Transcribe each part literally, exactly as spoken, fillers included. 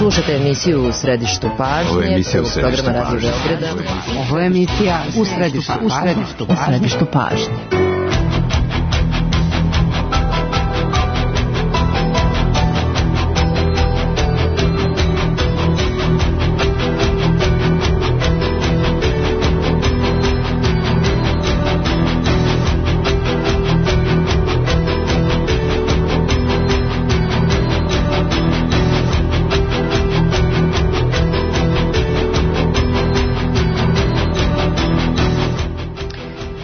Slušajte emisiju U središtu pažnje. Ovo je emisija U središtu pažnje. Ovo je emisija U središtu pažnje. U središtu pažnje.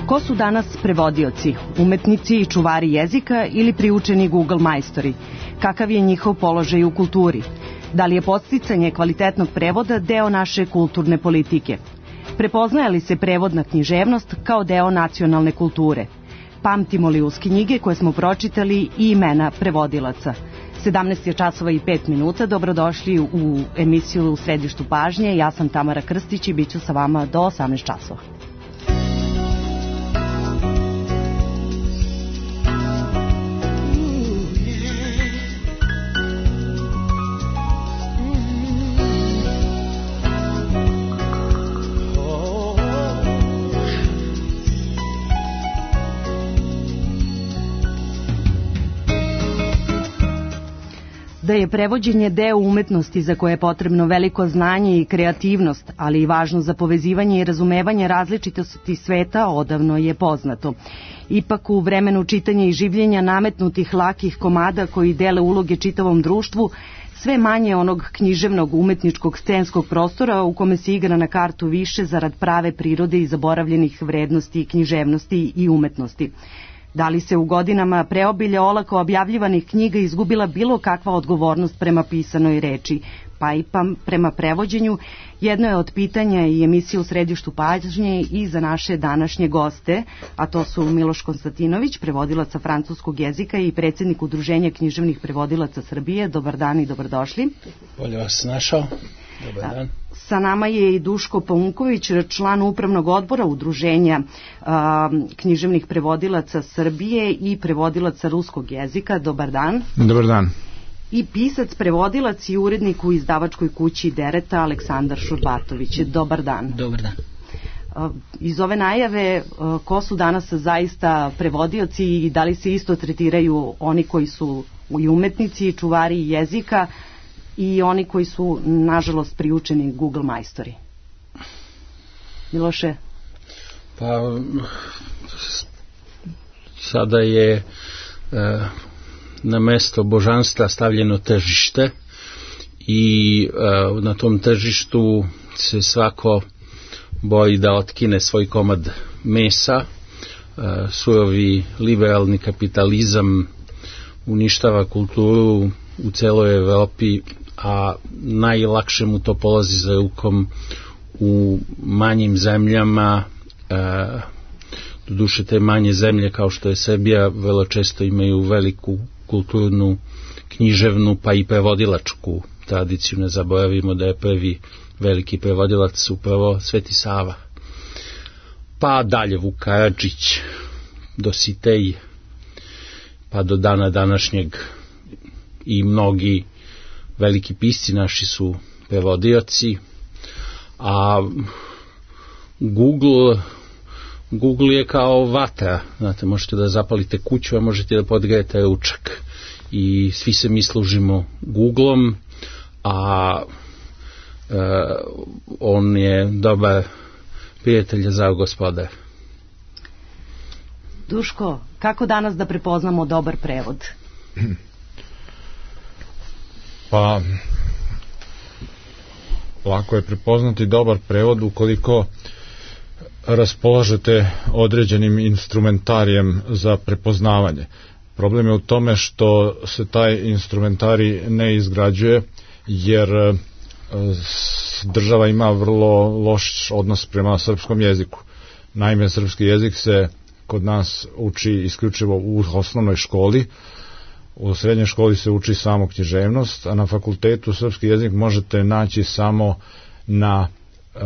Ko su danas prevodioci, umetnici i čuvari jezika ili priučeni Google majstori? Kakav je njihov položaj u kulturi? Da li je podsticanje kvalitetnog prevoda deo naše kulturne politike? Prepoznaje li se prevodna književnost kao deo nacionalne kulture? Pamtimo li uz knjige koje smo pročitali i imena prevodilaca? sedamnaest je časova i pet minuta, dobrodošli u emisiju U središtu pažnje. Ja sam Tamara Krstić i bit ću sa vama do osamnaest časova. Da je prevođenje deo umetnosti za koje je potrebno veliko znanje i kreativnost, ali i važno za povezivanje i razumevanje različitosti sveta, odavno je poznato. Ipak u vremenu čitanja i življenja nametnutih lakih komada koji dele uloge čitavom društvu, sve manje onog književnog umetničkog scenskog prostora u kome se igra na kartu više zarad prave prirode i zaboravljenih vrednosti, književnosti i umetnosti. Da li se u godinama preobilja olako objavljivanih knjiga izgubila bilo kakva odgovornost prema pisanoj reči, pa i pa prema prevođenju, jedno je od pitanja i emisije U središtu pažnje i za naše današnje goste, a to su Miloš Konstantinović, prevodilac sa francuskog jezika i predsjednik Udruženja književnih prevodilaca Srbije. Dobar dan i dobrodošli. Bolje vas našao. Dobar dan. Sa nama je i Duško Paunković, član upravnog odbora Udruženja a, književnih prevodilaca Srbije i prevodilaca ruskog jezika. Dobar dan. Dobar dan. I pisac, prevodilac i urednik u izdavačkoj kući Dereta Aleksandar Šurbatović. Dobar dan. Dobar dan. Iz ove najave, ko su danas zaista prevodioci i da li se isto tretiraju oni koji su i umetnici, čuvari jezika, i oni koji su, nažalost, priučeni Google majstori? Miloše? Pa, sada je e, na mesto božanstva stavljeno tržište i e, na tom tržištu se svako boji da otkine svoj komad mesa. E, surovi liberalni kapitalizam uništava kulturu u celoj Evropi, a najlakše mu to polazi za rukom u manjim zemljama. E, doduše te manje zemlje kao što je Srbija vrlo često imaju veliku kulturnu, književnu pa i prevodilačku tradiciju. Ne zaboravimo da je prvi veliki prevodilac upravo Sveti Sava. Pa dalje Vuk Karadžić, Dositej, pa do dana današnjeg i mnogi veliki pisci naši su prevodioci, a Google Google je kao vatra, znate, možete da zapalite kuću, a možete da podgrejete ručak i svi se mi služimo Googleom, a e, on je dobar prijatelj za gospodar. Duško, kako danas da prepoznamo dobar prevod? Pa, lako je prepoznati dobar prevod ukoliko raspolažete određenim instrumentarijem za prepoznavanje. Problem je u tome što se taj instrumentarij ne izgrađuje, jer država ima vrlo loš odnos prema srpskom jeziku. Naime, srpski jezik se kod nas uči isključivo u osnovnoj školi, u srednjoj školi se uči samo književnost, a na fakultetu srpski jezik možete naći samo na e,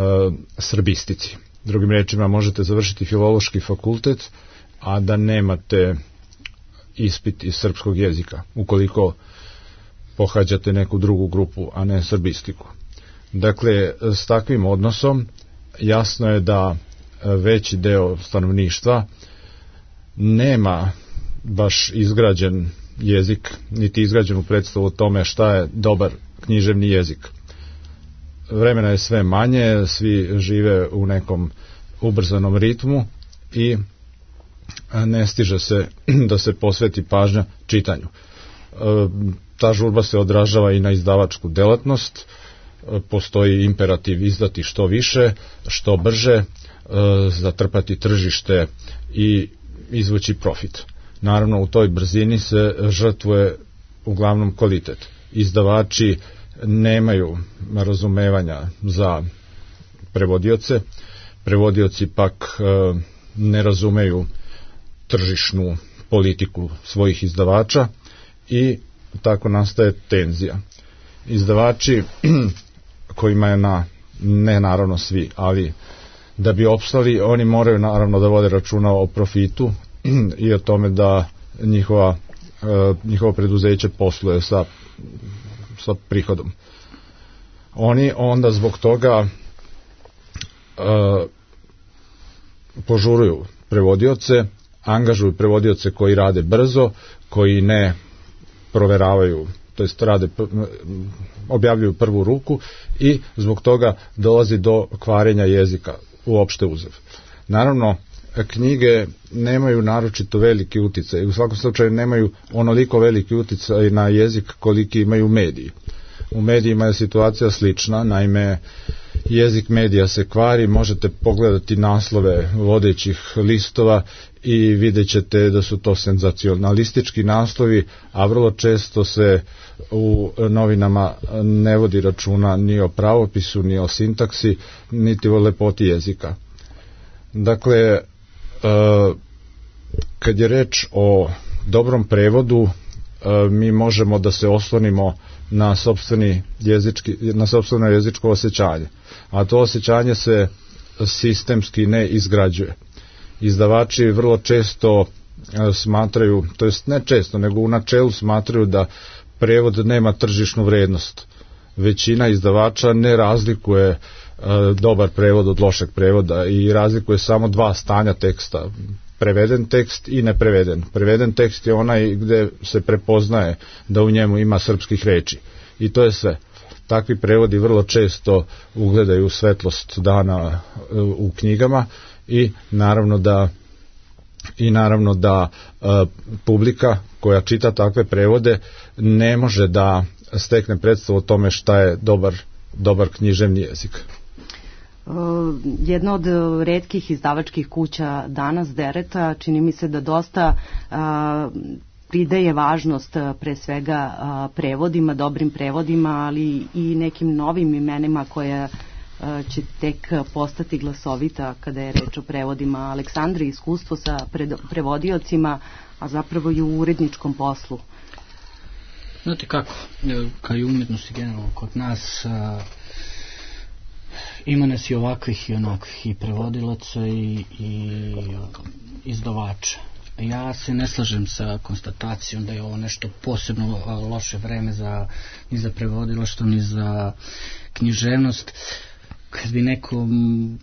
srbistici. Drugim rečima, možete završiti filološki fakultet, a da nemate ispit iz srpskog jezika. Ukoliko pohađate neku drugu grupu, a ne srbistiku. Dakle, s takvim odnosom jasno je da veći deo stanovništva nema baš izgrađen jezik, niti izgrađenu predstavu o tome šta je dobar književni jezik. Vremena je sve manje, svi žive u nekom ubrzanom ritmu i ne stiže se da se posveti pažnja čitanju. Ta žurba se odražava i na izdavačku delatnost, postoji imperativ izdati što više, što brže, zatrpati tržište i izvući profit. Naravno, u toj brzini se žrtvuje uglavnom kvalitet. Izdavači nemaju razumevanja za prevodioce, prevodioci pak ne razumeju tržišnu politiku svojih izdavača i tako nastaje tenzija. Izdavači kojima je na, ne naravno svi, ali da bi opstali, oni moraju naravno da vode računa o profitu i o tome da njihova, njihovo preduzeće posluje sa, sa prihodom. Oni onda zbog toga požuruju prevodioce, angažuju prevodioce koji rade brzo, koji ne proveravaju, to jest rade, objavljuju prvu ruku i zbog toga dolazi do kvarenja jezika uopšte uzev. Naravno, knjige nemaju naročito veliki uticaj, u svakom slučaju nemaju onoliko veliki uticaj na jezik koliki imaju mediji. U medijima je situacija slična, naime jezik medija se kvari, možete pogledati naslove vodećih listova i vidjet ćete da su to senzacionalistički naslovi, a vrlo često se u novinama ne vodi računa ni o pravopisu, ni o sintaksi, niti o lepoti jezika. Dakle, kad je reč o dobrom prevodu, mi možemo da se oslonimo na sopstveni jezički, na sopstveno jezičko osjećanje, a to osjećanje se sistemski ne izgrađuje. Izdavači vrlo često smatraju, to jest ne često, nego u načelu smatraju da prevod nema tržišnu vrednost. Većina izdavača ne razlikuje dobar prevod od lošeg prevoda i razlikuje samo dva stanja teksta, preveden tekst i nepreveden. Preveden tekst je onaj gde se prepoznaje da u njemu ima srpskih reči i to je sve. Takvi prevodi vrlo često ugledaju svetlost dana u knjigama i naravno da i naravno da e, publika koja čita takve prevode ne može da stekne predstavu o tome šta je dobar, dobar književni jezik. Jedna od retkih izdavačkih kuća danas, Dereta, čini mi se da dosta a, pridaje važnost pre svega a, prevodima, dobrim prevodima, ali i nekim novim imenima koja a, će tek postati glasovita kada je reč o prevodima. Aleksandra, iskustvo sa pred, prevodiocima, a zapravo i u uredničkom poslu. Znate kako, kao i umjetnosti generalno kod nas, a, ima nas i ovakvih i onakvih, i prevodilaca i, i izdavača. Ja se ne slažem sa konstatacijom da je ovo nešto posebno loše vreme za, ni za prevodilaštvo, ni za književnost. Kad bi neko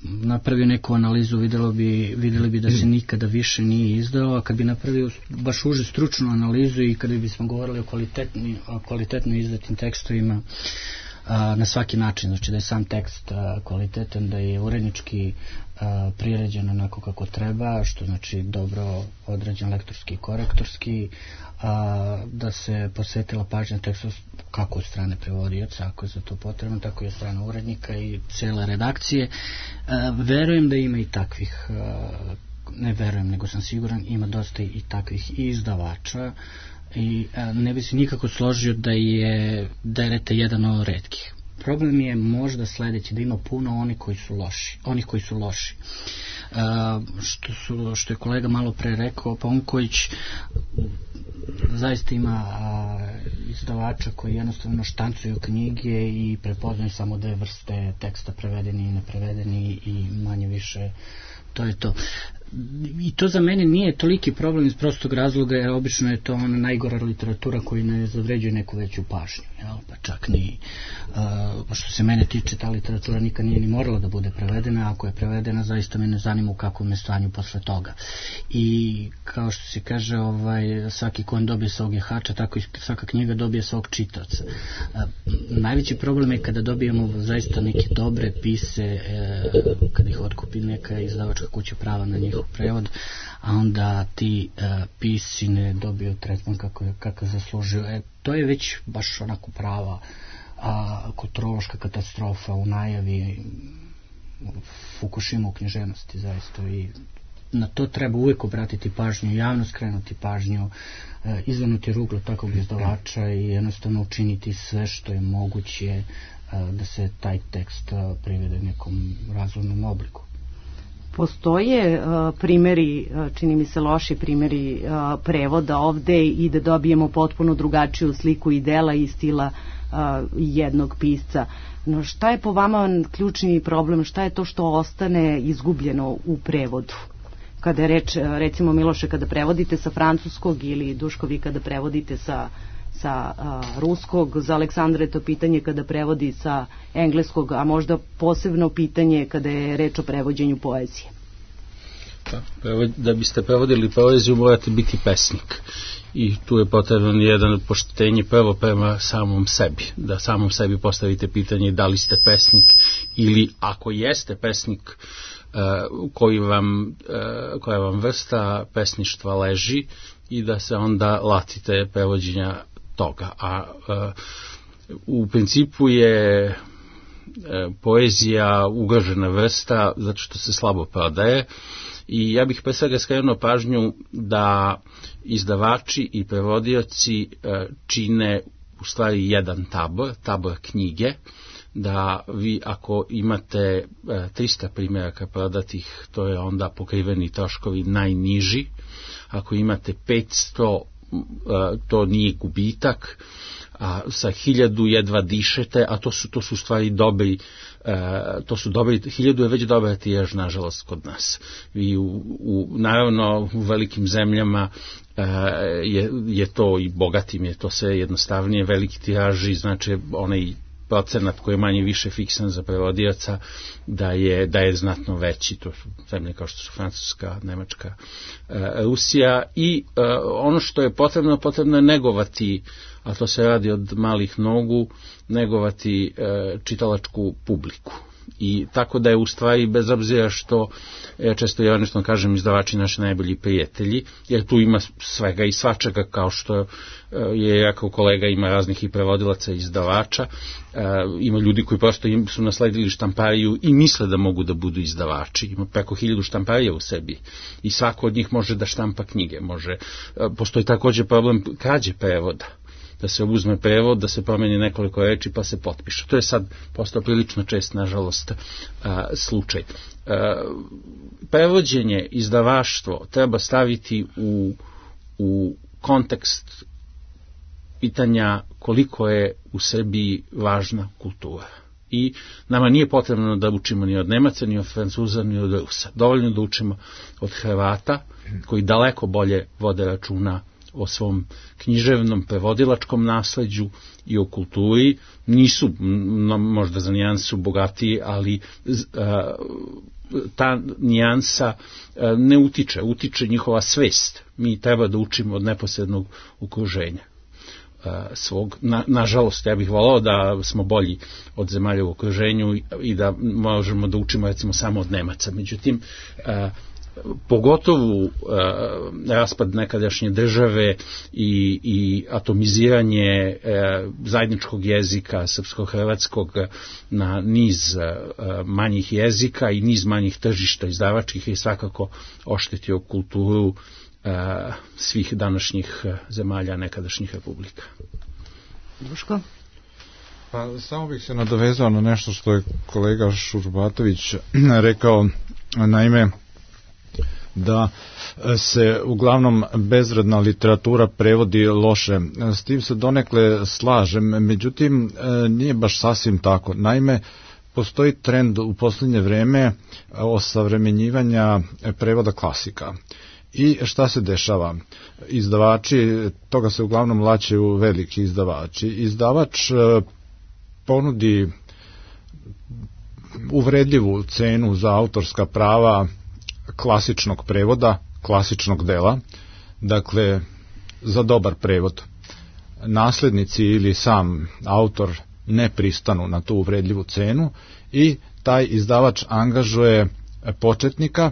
napravio neku analizu, vidjelo bi, vidjeli bi da se nikada više nije izdao, a kad bi napravio baš uže stručnu analizu i kada bismo govorili o, kvalitetni, o kvalitetno izdatim tekstovima, na svaki način, znači da je sam tekst kvalitetan, da je urednički priređen onako kako treba, što znači dobro odrađen lektorski i korektorski, da se posvetila pažnja tekstu kako od strane prevodioca, ako je za to potrebno, tako i od strane urednika i cele redakcije. Verujem da ima i takvih, ne verujem, nego sam siguran, ima dosta i takvih i izdavača, i a, ne bi se nikako složio da je Dereta jedan od retkih. Problem je možda sledeći, da ima puno oni koji su loši, onih koji su loši. A, što, su, što je kolega malo pre rekao, Ponković zaista ima a, izdavača koji jednostavno štancuju knjige i prepoznaju samo dve vrste teksta, prevedeni i neprevedeni, i manje više to je to. i to za mene nije toliki problem iz prostog razloga, jer obično je to ona najgora literatura koja ne zavređuje neku veću pažnju, jel? Pa čak ni uh, što se mene tiče, ta literatura nikad nije ni morala da bude prevedena, ako je prevedena zaista me ne zanima u kakvom je stanju posle toga. I kao što se kaže, ovaj, svaki kon dobije svog jehača, tako i svaka knjiga dobije svog čitaoca. Uh, najveći problem je kada dobijemo zaista neke dobre pise, uh, kada ih otkupi neka izdavačka kuća prava na njihov prevod, a onda ti uh, pisi ne dobiju tretman kako, kako zaslužuju. E, to je već baš onako prava a, kulturološka katastrofa u najavi, Fukushima u književnosti zaista, i na to treba uvijek obratiti pažnju, javno skrenuti pažnju, e, izvrnuti ruglo takvog izdavača i jednostavno učiniti sve što je moguće e, da se taj tekst e, privede nekom razumnom obliku. Postoje uh, primjeri, uh, čini mi se loši primjeri uh, prevoda ovde i da dobijemo potpuno drugačiju sliku i dela i stila uh, jednog pisca. No šta je po vama ključni problem, šta je to što ostane izgubljeno u prevodu? Kada je reč, recimo Miloše, kada prevodite sa francuskog, ili Duško vi kada prevodite sa sa uh, ruskog, za Aleksandra je to pitanje kada prevodi sa engleskog, a možda posebno pitanje kada je reč o prevođenju poezije. Pa, da biste prevodili poeziju morate biti pesnik i tu je potrebno jedan poštenje prvo prema samom sebi, da samom sebi postavite pitanje da li ste pesnik, ili ako jeste pesnik, uh, koji vam, uh, koja vam vrsta pesništva leži, i da se onda latite prevođenja toga. A uh, u principu je uh, poezija ugrožena vrsta zato što se slabo prodaje, i ja bih pre svega skrenuo pažnju da izdavači i prevodioci uh, čine u stvari jedan tabor, tabor knjige, da vi ako imate uh, trista primjeraka prodatih, to je onda pokriveni troškovi najniži. Ako imate petsto, to nije gubitak, a sa hiljadu jedva dišete, a to su, to su stvari dobri, to su dobri, hiljadu je već dobra tijaž, nažalost, kod nas. I u, u, naravno, u velikim zemljama je, je to, i bogatim je to sve jednostavnije, veliki tiraži, znači onaj procenat koji je manje više fiksan za prevodioca, da je, da je znatno veći. To su zemlje kao što su Francuska, Nemačka, e, Rusija, i e, ono što je potrebno, potrebno je negovati, a to se radi od malih nogu, negovati e, čitalačku publiku. I tako da je u stvari, bez obzira što ja često ja nešto kažem, izdavači naši najbolji prijatelji, jer tu ima svega i svačega, kao što je jako kolega, ima raznih i prevodilaca i izdavača, ima ljudi koji prosto im su nasledili štampariju i misle da mogu da budu izdavači, ima preko hiljadu štamparija u sebi i svako od njih može da štampa knjige, može, postoji također problem krađe prevoda, da se uzme prevod, da se promeni nekoliko reči pa se potpiše. To je sad postao prilično čest, nažalost, a, slučaj. A, prevođenje, izdavaštvo treba staviti u, u kontekst pitanja koliko je u Srbiji važna kultura. I nama nije potrebno da učimo ni od Nemaca, ni od Francuza, ni od Rusa. Dovoljno da učimo od Hrvata, koji daleko bolje vode računa o svom književnom prevodilačkom nasleđu i o kulturi. Nisu no, možda za nijansu bogatiji, ali a, ta nijansa a, ne utiče, utiče njihova svest. Mi treba da učimo od neposrednog okruženja a, svog. Na, nažalost, ja bih volao da smo bolji od zemalja u okruženju i, i da možemo da učimo recimo samo od Nemaca. Međutim, a, pogotovo uh, raspad nekadašnje države i, i atomiziranje uh, zajedničkog jezika srpsko-hrvatskog na niz uh, manjih jezika i niz manjih tržišta izdavačkih je svakako oštetio kulturu uh, svih današnjih zemalja nekadašnjih republika. Duško? Pa samo bih se nadovezao na nešto što je kolega Šurbatović rekao, naime da se uglavnom bezvredna literatura prevodi loše. S tim se donekle slažem, međutim nije baš sasvim tako. Naime, postoji trend u posljednje vreme osavremenjivanja prevoda klasika. I šta se dešava? Izdavači, toga se uglavnom laćaju veliki izdavači. Izdavač ponudi uvredljivu cenu za autorska prava klasičnog prevoda, klasičnog dela, dakle za dobar prevod. Naslednici ili sam autor ne pristanu na tu uvredljivu cenu i taj izdavač angažuje početnika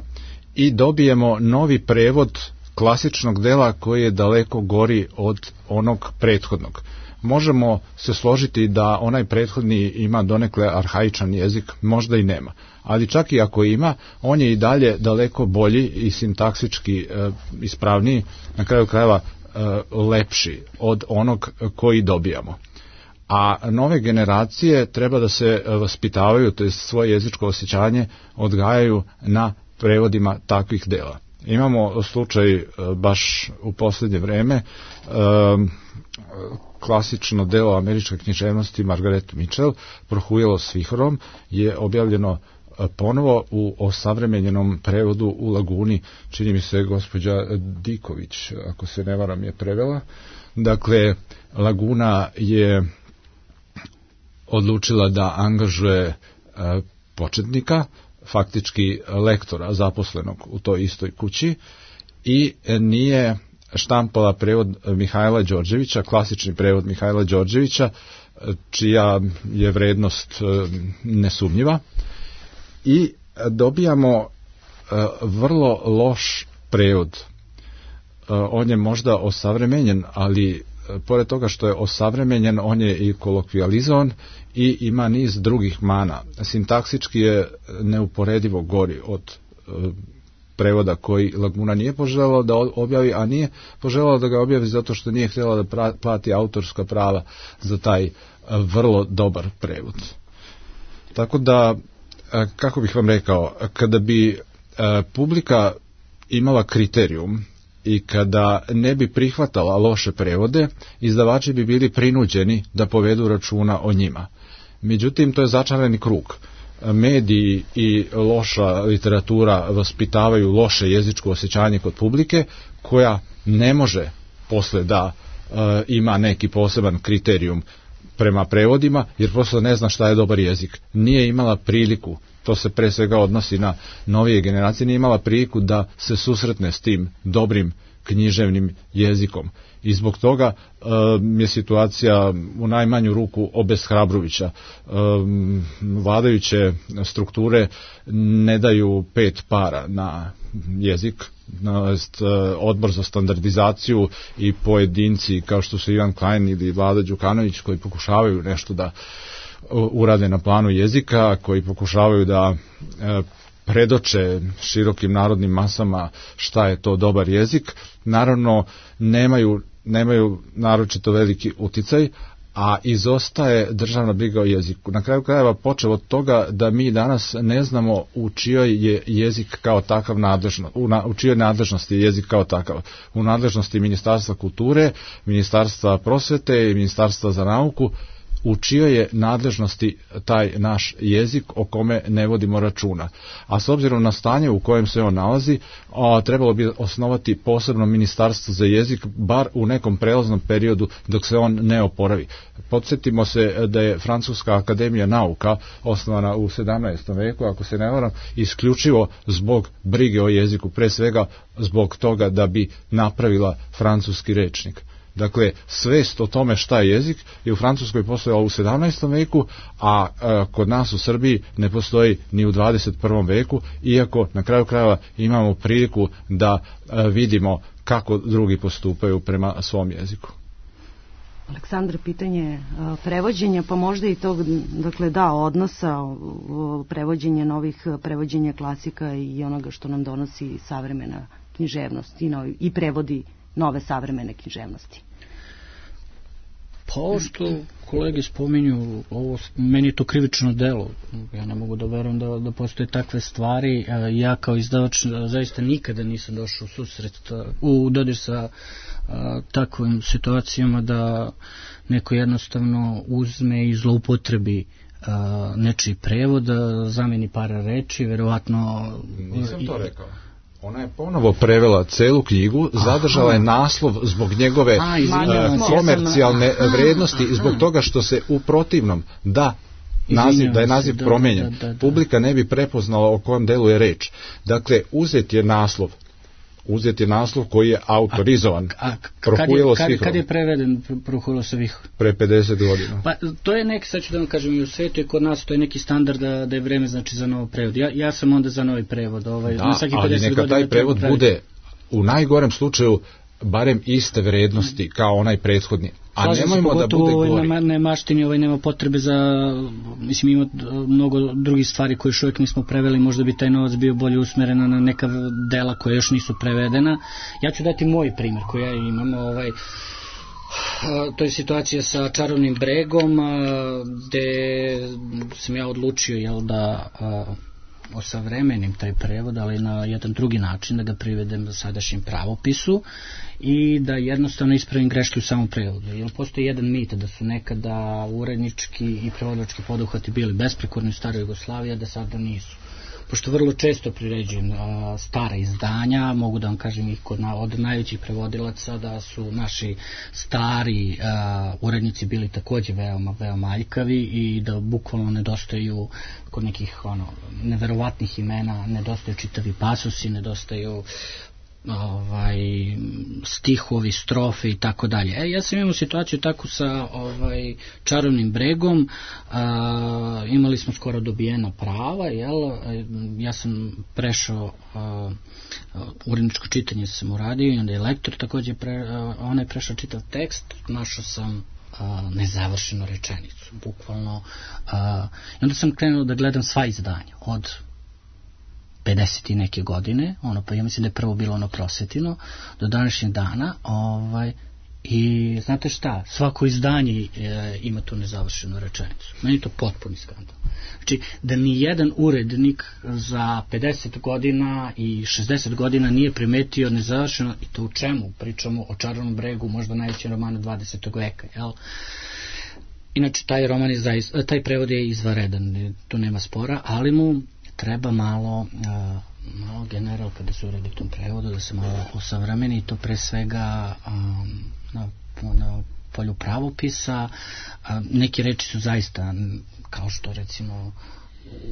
i dobijemo novi prevod klasičnog dela koji je daleko gori od onog prethodnog. Možemo se složiti da onaj prethodni ima donekle arhaičan jezik, možda i nema, ali čak i ako ima, on je i dalje daleko bolji i sintaksički e, ispravniji, na kraju krajeva e, lepši od onog koji dobijamo. A nove generacije treba da se vaspitavaju, to je svoje jezičko osjećanje odgajaju na prevodima takvih dela. Imamo slučaj baš u posljednje vreme, klasično delo američke književnosti Margaret Mitchell, Prohujelo s vihorom, je objavljeno ponovo u osavremenjenom prevodu u Laguni, čini mi se gospođa Diković, ako se ne varam, je prevela. Dakle, Laguna je odlučila da angažuje početnika, faktički lektora zaposlenog u toj istoj kući i nije štampala prevod Mihajla Đorđevića, klasični prevod Mihajla Đorđevića, čija je vrednost nesumnjiva, i dobijamo vrlo loš prevod. On je možda osavremenjen, ali pored toga što je osavremenjen, on je i kolokvijalizovan i ima niz drugih mana. Sintaksički je neuporedivo gori od e, prevoda koji Laguna nije poželjela da objavi, a nije poželjela da ga objavi zato što nije htjela da pra, plati autorska prava za taj e, vrlo dobar prevod. Tako da, e, kako bih vam rekao, kada bi e, publika imala kriterijum i kada ne bi prihvatala loše prevode, izdavači bi bili prinuđeni da povedu računa o njima. Međutim, to je začarani krug. Mediji i loša literatura vaspitavaju loše jezičko osjećanje kod publike, koja ne može posle da e, ima neki poseban kriterijum prema prevodima, jer prosto ne zna šta je dobar jezik. Nije imala priliku, to se pre svega odnosi na novije generacije, nije imala priliku da se susretne s tim dobrim književnim jezikom. I zbog toga e, je situacija u najmanju ruku obeshrabrujuća. E, vladajuće strukture ne daju pet para na jezik, Jest, odbor za standardizaciju i pojedinci kao što su Ivan Klein ili Vlada Đukanović, koji pokušavaju nešto da urade na planu jezika, koji pokušavaju da predoče širokim narodnim masama šta je to dobar jezik, naravno nemaju, nemaju naročito veliki uticaj, a izostaje državna briga o jeziku. Na kraju krajeva počeo od toga da mi danas ne znamo u čijoj je jezik kao takav nadležno, u, na, u čijoj nadležnosti je jezik kao takav. U nadležnosti Ministarstva kulture, Ministarstva prosvete i Ministarstva za nauku, u čijoj je nadležnosti taj naš jezik o kome ne vodimo računa. A s obzirom na stanje u kojem se on nalazi, a, trebalo bi osnovati posebno ministarstvo za jezik, bar u nekom prelaznom periodu dok se on ne oporavi. Podsjetimo se da je Francuska akademija nauka osnovana u sedamnaestom veku, ako se ne varam, isključivo zbog brige o jeziku, pre svega zbog toga da bi napravila francuski rečnik. Dakle, svest o tome šta je jezik je u Francuskoj postojala u sedamnaestom veku, a, a kod nas u Srbiji ne postoji ni u dvadeset prvom veku, iako na kraju krajeva imamo priliku da a, vidimo kako drugi postupaju prema svom jeziku. Aleksandar, pitanje prevođenja, pa možda i tog, dakle, da, odnosa prevođenja novih, prevođenja klasika i onoga što nam donosi savremena književnost i, novi, i prevodi nove savremene književnosti. Pa ovo što kolege spominju, ovo, meni je to krivično delo. Ja ne mogu da verujem da, da postoje takve stvari. Ja kao izdavač zaista nikada nisam došao u susret, u dodir sa a, takvim situacijama da neko jednostavno uzme i zloupotrebi uh, nečiji prevod, zameni par reči, verovatno... Nisam to rekao. Ona je ponovo prevela celu knjigu, zadržala je naslov zbog njegove A, izvinjavam, uh, komercijalne aha, vrednosti aha. i zbog toga što se u protivnom da naziv, da je naziv se, promenjen. Da, da, da. Publika ne bi prepoznala o kojem delu je reč. Dakle, uzet je naslov. Uzet je naslov koji je autorizovan. A, a Prohujelo kad, svih. kad je preveden Prohujelo svih? Pre pedeset godina. Pa to je neki, sad ću da vam kažem, i u svetu i kod nas to je neki standard da, da je vreme znači za novo prevod. Ja, ja sam onda za novi prevod. Ovaj, Da, ali neka taj prevod bude u najgorem slučaju barem iste vrednosti kao onaj prethodni. A slažem nemojmo se, da bude ovaj, gori. Na, na maštini ovaj, nema potrebe za, mislim ima mnogo drugih stvari koje još uvijek nismo preveli, možda bi taj novac bio bolje usmeren na neka dela koja još nisu prevedena. Ja ću dati moj primjer koji ja imam, ovaj, to je situacija sa Čarobnim bregom, gde sam ja odlučio jel, da osavremenim taj prevod, ali na jedan drugi način, da ga privedem sadašnjem pravopisu i da jednostavno ispravim greške u samom prevodu. Jer postoji jedan mit da su nekada urednički i prevodilački poduhvati bili besprekorni u staroj Jugoslaviji, a da sada nisu. Pošto vrlo često priređujem a, stara izdanja, mogu da vam kažem ih kod, na, od najvećih prevodilaca da su naši stari a, urednici bili takođe veoma, veoma aljkavi i da bukvalno nedostaju kod nekih ono, neverovatnih imena, nedostaju čitavi pasusi, nedostaju ovaj stihovi, strofe i tako dalje. E, ja sam imao situaciju tako sa ovaj Čarobnim bregom, a, imali smo skoro dobijena prava, jel? Ja sam prešao a, uredničko čitanje sam uradio i onda je lektor takođe pre, a, on je prešao čitav tekst, našao sam a, nezavršenu rečenicu, bukvalno a, i onda sam krenuo da gledam sva izdanja od pedeset i neke godine, ono pa ja mislim da je prvo bilo ono Prosvetino, do današnjeg dana, ovaj, i znate šta, svako izdanje e, ima tu nezavršenu rečenicu. Meni je to potpuni skandal. Znači, da ni jedan urednik za pedeset godina i šezdeset godina nije primetio nezavršeno, i to u čemu? Pričamo o Čarobnom bregu, možda najvećem romanu dvadesetog veka, jel? Inače, taj roman je zaista, taj prevod je izvanredan, tu nema spora, ali mu treba malo, uh, malo general kada se uredi u tom prevodu da se malo osavremeni, to pre svega um, na, na polju pravopisa. Uh, neki reči su zaista kao što recimo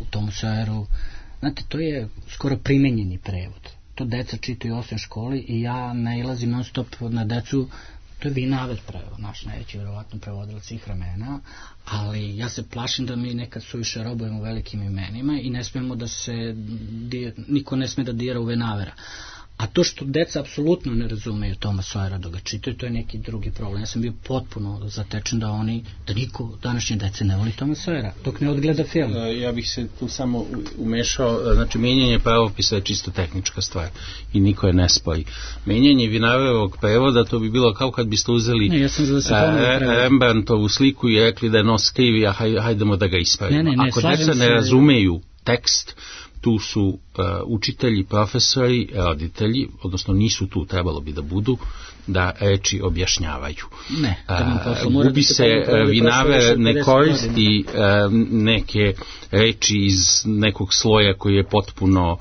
u Tomu Sojeru, znate, to je skoro primenjeni prevod, to deca čitaju u osnovnoj školi i ja nailazim non stop na decu. To je Vinaver prevod, naš najveći vjerovatno prevodilac svih vremena, ali ja se plašim da mi nekad suviše robujemo velikim imenima i ne smemo da se, niko ne sme da dira u Vinavera. A to što deca apsolutno ne razumeju Toma Sojera da ga čitaju, to je neki drugi problem. Ja sam bio potpuno zatečen da oni, da niko današnje dece ne voli Toma Sojera, dok ne odgleda film. Ja bih se tu samo umešao, znači menjanje pravopisa je čisto tehnička stvar i niko je ne spoji. Menjanje Vinaverovog prevoda, to bi bilo kao kad biste uzeli ne, ja sam da se e, Rembrandtovu sliku i rekli da je nos krivi, a haj, hajdemo da ga ispravimo. Ne, ne, ne, ako deca ne razumeju tekst, tu su uh, učitelji, profesori, roditelji, odnosno nisu tu, trebalo bi da budu, da reči objašnjavaju. Ne, uh, gubi se, uh, Vinaver ne koristi uh, neke reči iz nekog sloja koji je potpuno uh,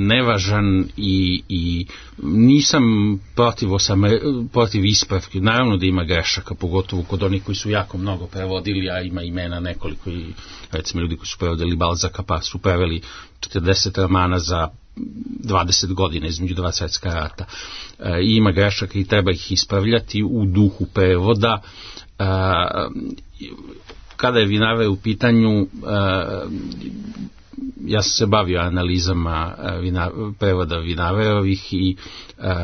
nevažan i, i nisam protiv, osam, protiv ispravke, naravno da ima grešaka, pogotovo kod onih koji su jako mnogo prevodili, a ima imena nekoliko i recimo ljudi koji su prevodili Balzaka pa su preveli četrdeset romana za dvadeset godina između dva svjetska rata. E, ima grešaka i treba ih ispravljati u duhu prevoda. E, kada je Vinaver u pitanju, e, ja sam se bavio analizama vina, prevoda Vinaverovih i, e,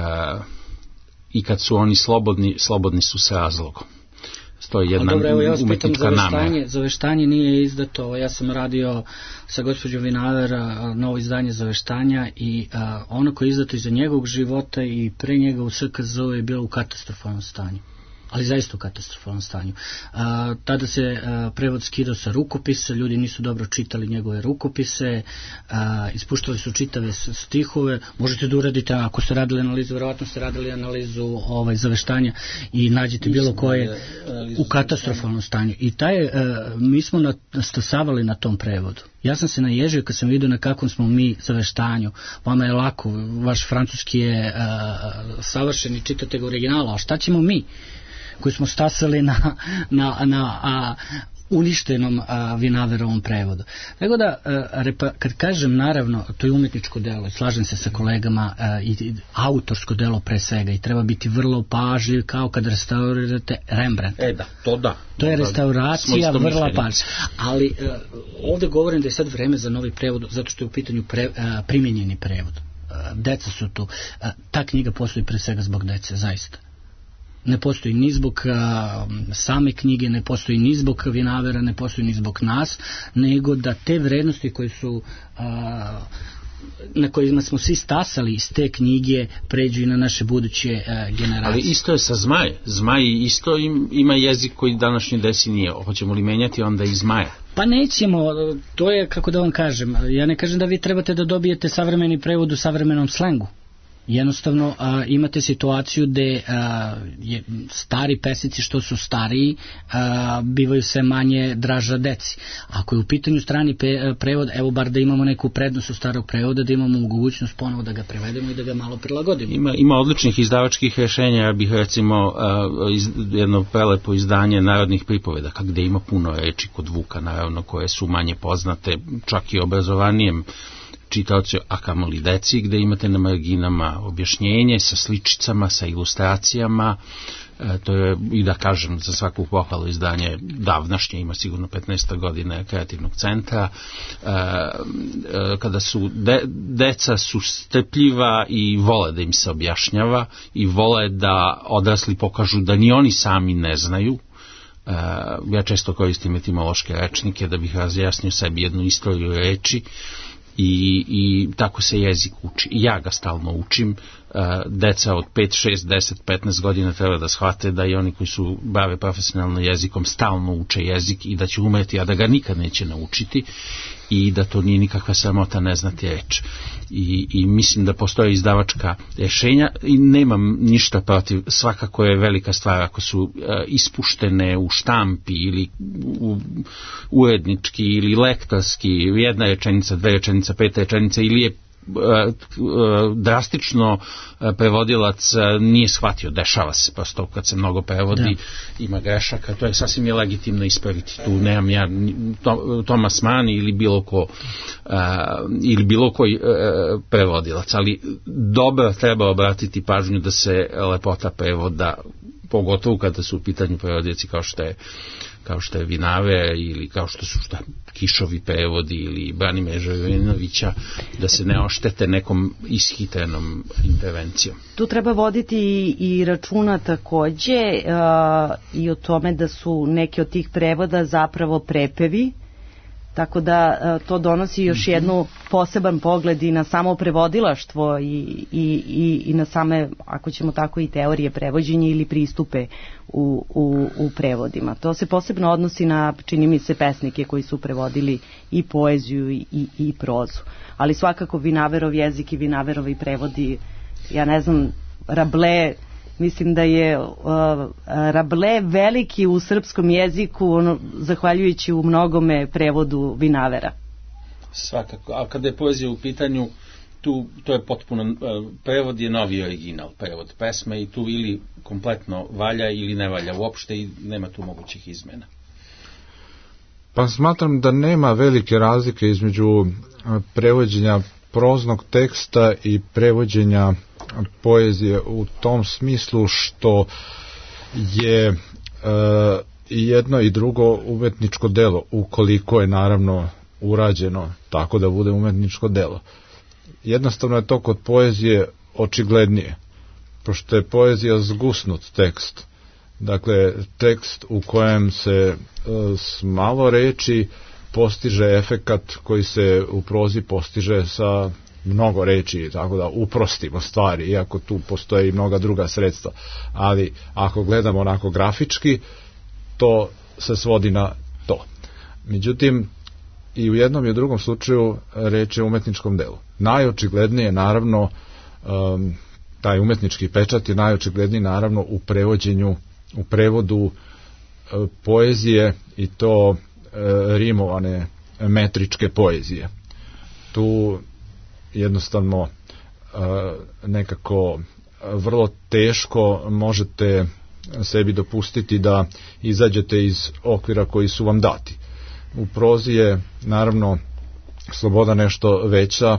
i kad su oni slobodni, slobodni su s razlogom. To je jedna dobro, evo, ja umetnička namera. Zaveštanje nije izdato, ja sam radio sa gospođom Vinaver novo izdanje Zaveštanja i a, ono koje je izdato iza njegovog života i pre njega u S K Z je bilo u katastrofalnom stanju. ali zaista u katastrofalnom stanju. A, tada se a, prevod skidao sa rukopisa, ljudi nisu dobro čitali njegove rukopise, a, ispuštali su čitave stihove, možete da uradite, ako ste radili analizu, verovatno ste radili analizu ovaj, zaveštanja i nađete bilo koje u katastrofalnom stanju. I taj, a, mi smo nastasavali na tom prevodu. Ja sam se naježio kad sam vidio na kakvom smo mi zaveštanju. Vama je lako, vaš francuski je a, savršen i čitate ga originalu, a šta ćemo mi koji smo stasali na, na, na a, uništenom a, Vinaverovom prevodu. Tako da, a, repa, kad kažem naravno, to je umetničko delo, slažem se sa kolegama, a, i, i autorsko delo pre svega i treba biti vrlo pažljiv kao kad restaurirate Rembrandt. E da, to da. To je restauracija vrlo pažljiva. Ali a, ovde govorim da je sad vreme za novi prevod, zato što je u pitanju pre, a, primjenjeni prevod. A, deca su tu. A, ta knjiga postoji pre svega zbog dece, zaista. Ne postoji ni zbog a, same knjige, ne postoji ni zbog Vinavera, ne postoji ni zbog nas, nego da te vrednosti koje su a, na kojima smo svi stasali iz te knjige pređu i na naše buduće a, generacije. Ali isto je sa Zmaj. Zmaj isto im, ima jezik koji današnji desi nije. Hoćemo li menjati onda i Zmaja? Pa nećemo, to je, kako da vam kažem, ja ne kažem da vi trebate da dobijete savremeni prevod u savremenom slengu. Jednostavno a, imate situaciju gde a, je, stari pesnici što su stariji a, bivaju sve manje draža deci. Ako je u pitanju strani pe, prevod, evo bar da imamo neku prednost u starog prevoda, da imamo mogućnost ponovo da ga prevedemo i da ga malo prilagodimo. Ima, ima odličnih izdavačkih rješenja, ja bih recimo a, iz, jedno prelepo izdanje narodnih pripovedaka gde ima puno reči kod Vuka, naravno koje su manje poznate, čak i obrazovanijem čitaoci, a kamoli deci, gde imate na marginama objašnjenje sa sličicama, sa ilustracijama. E, to je, i da kažem, za svaku pohvalu izdanje davnašnje, ima sigurno petnaest godina kreativnog centra. E, e, kada su de, deca su strpljiva i vole da im se objašnjava i vole da odrasli pokažu da ni oni sami ne znaju. Uh, ja često koristim etimološke rečnike da bih razjasnio sebi jednu istoriju reči i, i tako se jezik uči. I ja ga stalno učim. Uh, deca od pet, šest, deset, petnaest godina treba da shvate da i oni koji su bave profesionalno jezikom stalno uče jezik i da će umreti, a da ga nikad neće naučiti i da to nije nikakva sramota ne znati reč. I, i mislim da postoje izdavačka rješenja i nemam ništa protiv, svakako je velika stvar ako su uh, ispuštene u štampi ili u, urednički ili lektorski, jedna rečenica, dve rečenica, pet rečenica ili je drastično prevodilac nije shvatio, dešava se prosto kad se mnogo prevodi, da. Ima grešaka, to je sasvim je legitimno ispraviti, tu nemam ja Tomas Mann ili bilo ko ili bilo koji prevodilac, ali dobro treba obratiti pažnju da se lepota prevoda, pogotovo kada su u pitanju prevodioci kao što je kao što je Vinave ili kao što su šta, Kišovi prevodi ili Branimira Živinovića, da se ne oštete nekom ishitrenom intervencijom. Tu treba voditi i, i računa takođe uh, i o tome da su neki od tih prevoda zapravo prepevi, tako da uh, to donosi još jednu poseban pogled i na samo prevodilaštvo i, i, i, i na same, ako ćemo tako, i teorije prevođenja ili pristupe u, u, u prevodima. To se posebno odnosi na, čini mi se, pesnike koji su prevodili i poeziju i, i, i prozu. Ali svakako Vinaverov jezik i Vinaverovi prevodi, ja ne znam, Rabelais, mislim da je uh, Rabelais veliki u srpskom jeziku, ono, zahvaljujući u mnogome prevodu Vinavera. Svakako, a kada je poezija u pitanju, tu to je potpuno, uh, prevod je novi original, prevod pesme i tu ili kompletno valja ili ne valja uopšte i nema tu mogućih izmena. Pa smatram da nema velike razlike između prevođenja proznog teksta i prevođenja poezije u tom smislu što je e, jedno i drugo umetničko delo, ukoliko je naravno urađeno tako da bude umetničko delo. Jednostavno je to kod poezije očiglednije, pošto je poezija zgusnut tekst. Dakle, tekst u kojem se e, s malo reči postiže efekat koji se u prozi postiže sa mnogo reči, tako da uprostimo stvari, iako tu postoje i mnoga druga sredstva, ali ako gledamo onako grafički, to se svodi na to. Međutim, i u jednom i u drugom slučaju reč je o umetničkom delu. Najočiglednije, naravno, um, taj umetnički pečat je najočigledniji, naravno, u prevođenju, u prevodu uh, poezije, i to uh, rimovane metričke poezije. Tu jednostavno uh, nekako vrlo teško možete sebi dopustiti da izađete iz okvira koji su vam dati. U prozi je naravno sloboda nešto veća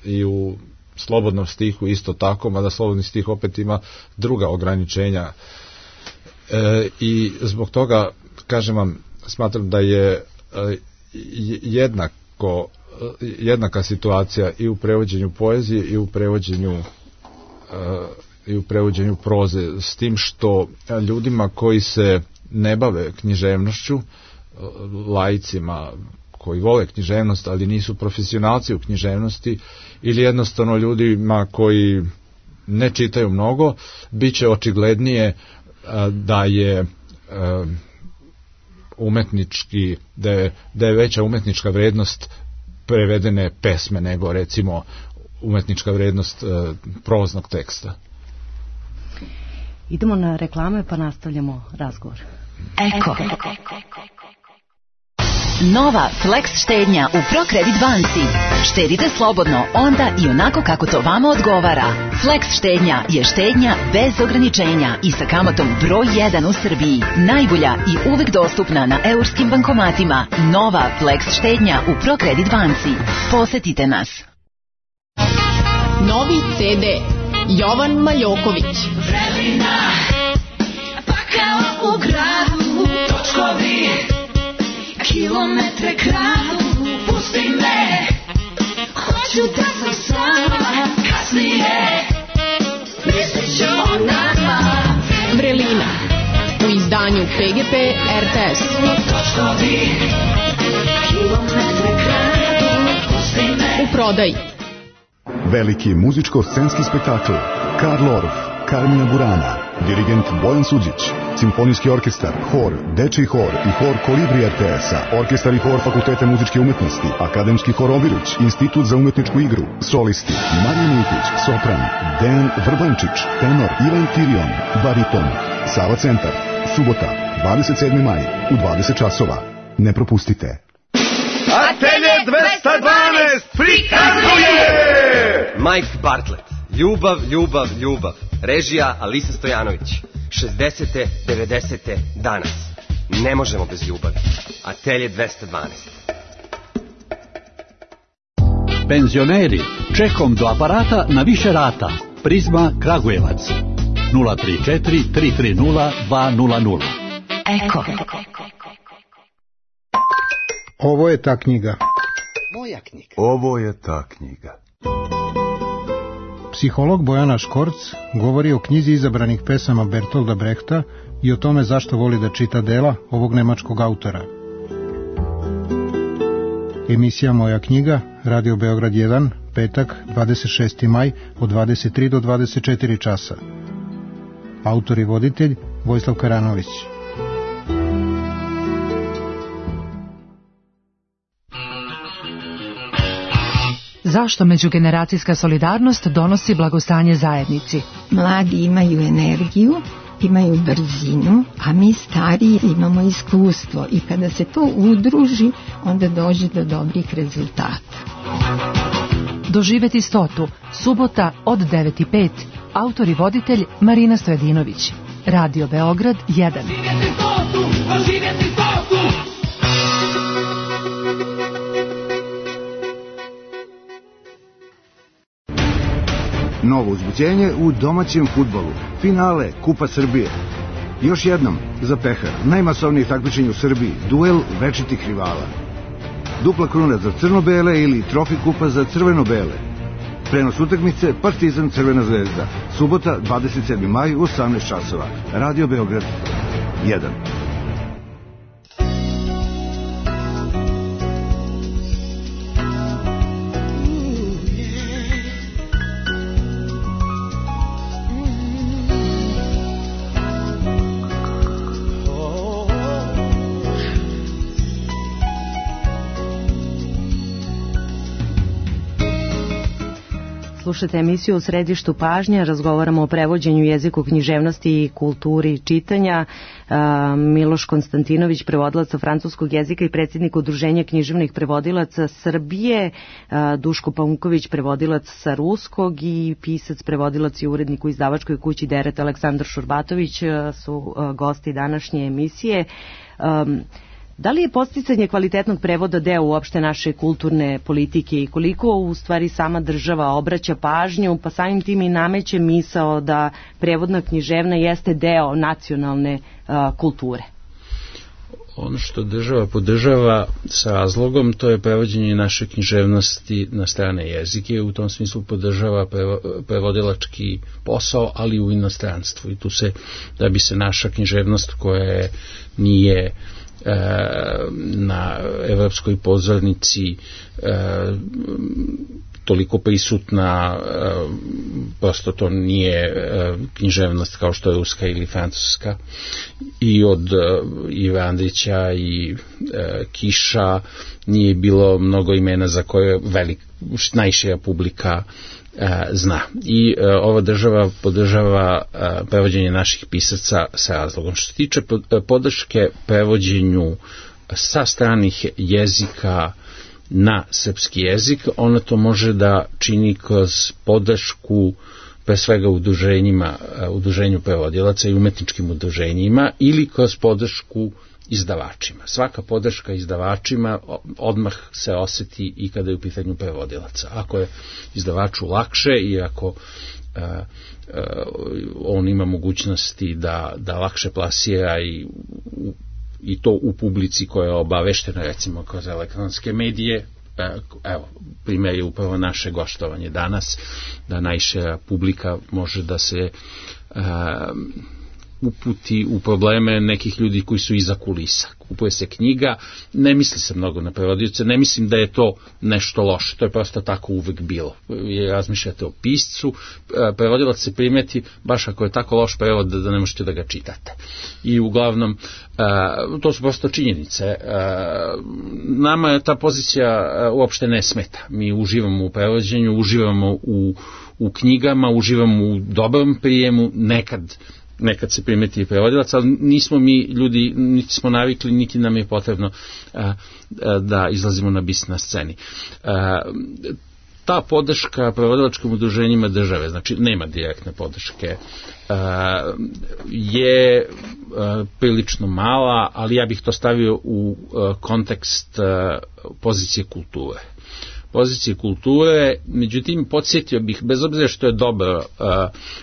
i u slobodnom stihu isto tako, mada slobodni stih opet ima druga ograničenja. E, i zbog toga, kažem vam, smatram da je e, jednako, jednaka situacija i u prevođenju poezije i u prevođenju e, i u prevođenju proze, s tim što ljudima koji se ne bave književnošću, laicima koji vole književnost, ali nisu profesionalci u književnosti, ili jednostavno ljudima koji ne čitaju mnogo, bit će očiglednije da je umetnički, da je, da je veća umetnička vrednost prevedene pesme nego recimo umetnička vrednost proznog teksta. Idemo na reklame pa nastavljamo razgovor. Eko. Nova Flex štednja u ProCredit banci. Štedite slobodno onda i onako kako to vama odgovara. Flex štednja je štednja bez ograničenja i sa kamatom broj jedan u Srbiji. Najbolja i uvek dostupna na eurskim bankomatima. Nova Flex štednja u ProCredit banci. Posetite nas. Novi ce de Jovan Maljoković. Vrelina, pa kao u gradu, točkovi, kilometre kradu, pusti me, hoću da sam sama, kasnije, mislit ću o nama. Vrelina, u izdanju pe ge pe er te es. Točkovi, kilometre kradu, pusti me. U prodaji. Veliki muzičko-scenski spektakl Karl Orff, Carmina Burana, dirigent Bojan Suđić, simfonijski orkestar, hor, dečiji hor i hor Kolibri er te es-a, orkestar i hor Fakulteta muzičke umetnosti, akademski hor Obiruć, institut za umetničku igru, solisti Marija Miljkić, sopran, Dejan Vrbančić, tenor Ivan Tirion, bariton, Sava centar, subota, dvadeset sedmi maj, u dvadeset časova. Ne propustite. Atelje dvesta dvanaest prikazuje Mike Bartlett, Ljubav, ljubav, ljubav. Režija Alisa Stojanović. šezdesete, devedesete danas. Ne možemo bez ljubavi. Atelje dvesta dvanaest. Penzioneri, čekom do aparata na više rata. Prizma Kragujevac. nula tri četiri, tri tri nula, dva nula nula. Eko. Ovo je ta knjiga. Moja knjiga. Ovo je ta knjiga. Psiholog Bojana Škorc govori o knjizi izabranih pesama Bertolda Brehta i o tome zašto voli da čita dela ovog nemačkog autora. Emisija Moja knjiga, Radio Beograd jedan, petak, dvadeset šesti maj, od dvadeset tri do dvadeset četiri časa. Autor i voditelj Vojislav Karanović. Zašto međugeneracijska solidarnost donosi blagostanje zajednici? Mladi imaju energiju, imaju brzinu, a mi stariji imamo iskustvo i kada se to udruži, onda dođe do dobrih rezultata. Doživeti stotu, subota od devet i pet, autor i voditelj Marina Stojadinović. Radio Beograd jedan. Doživjeti stotu, doživjeti stotu. Novo uzbuđenje u domaćem fudbalu. Finale Kupa Srbije. Još jednom, za pehar, najmasovniji takmičenje u Srbiji, duel večitih rivala. Dupla kruna za crno-bele ili trofi kupa za crveno-bele. Prenos utakmice Partizan Crvena zvezda. Subota, dvadeset sedmi maj u osamnaest časova. Radio Beograd jedan. slušate emisiju U središtu pažnje. Razgovaramo o prevođenju, jeziku, književnosti i kulturi čitanja. Miloš Konstantinović, prevodilac sa francuskog jezika i predsjednik Udruženja književnih prevodilaca Srbije, Duško Paunković, prevodilac sa ruskog i pisac, prevodilac i urednik u izdavačkoj kući Deret, Aleksandar Šurbatović su gosti današnje emisije. Da li je podsticanje kvalitetnog prevoda deo uopšte naše kulturne politike i koliko u stvari sama država obraća pažnju, pa samim tim i nameće misao da prevodna književna jeste deo nacionalne a, kulture? Ono što država podržava sa razlogom, to je prevođenje naše književnosti na strane jezike, u tom smislu podržava prevodilački posao, ali u inostranstvu. I tu se, da bi se naša književnost koja nije na evropskoj pozornici toliko prisutna, prosto to nije književnost kao što je ruska ili francuska, i od Ive Andrića i Kiša nije bilo mnogo imena za koje velik, najšira publika zna. I uh, ova država podržava uh, prevođenje naših pisaca sa razlogom. Što se tiče podrške prevođenju sa stranih jezika na srpski jezik, ona to može da čini kroz podršku pre svega udruženjima, uh, udruženju prevodilaca i umetničkim udruženjima ili kroz podršku izdavačima. Svaka podrška izdavačima odmah se oseti i kada je u pitanju prevodilaca. Ako je izdavaču lakše i ako uh, uh, on ima mogućnosti da, da lakše plasira i, u, i to u publici koja je obaveštena, recimo kroz elektronske medije, uh, evo, primjer je upravo naše goštovanje danas, da najšira publika može da se uh, uputi u probleme nekih ljudi koji su iza kulisa. Kupuje se knjiga, ne misli se mnogo na prevodioce, ne mislim da je to nešto loše, to je prosto tako uvek bilo. Razmišljate o piscu, prevodilac se primeti baš ako je tako loš prevod da ne možete da ga čitate. I uglavnom, to su prosto činjenice. Nama ta pozicija uopšte ne smeta. Mi uživamo u prevođenju, uživamo u, u knjigama, uživamo u dobrom prijemu, nekad nekad se primeti i prevodilac, ali nismo mi ljudi, niti smo navikli, niti nam je potrebno a, a, da izlazimo na bis na sceni. A, ta podrška prevodilačkim udruženjima države, znači nema direktne podrške, a, je a, prilično mala, ali ja bih to stavio u a, kontekst a, pozicije kulture. Pozicije kulture, međutim podsjetio bih, bez obzira što je dobro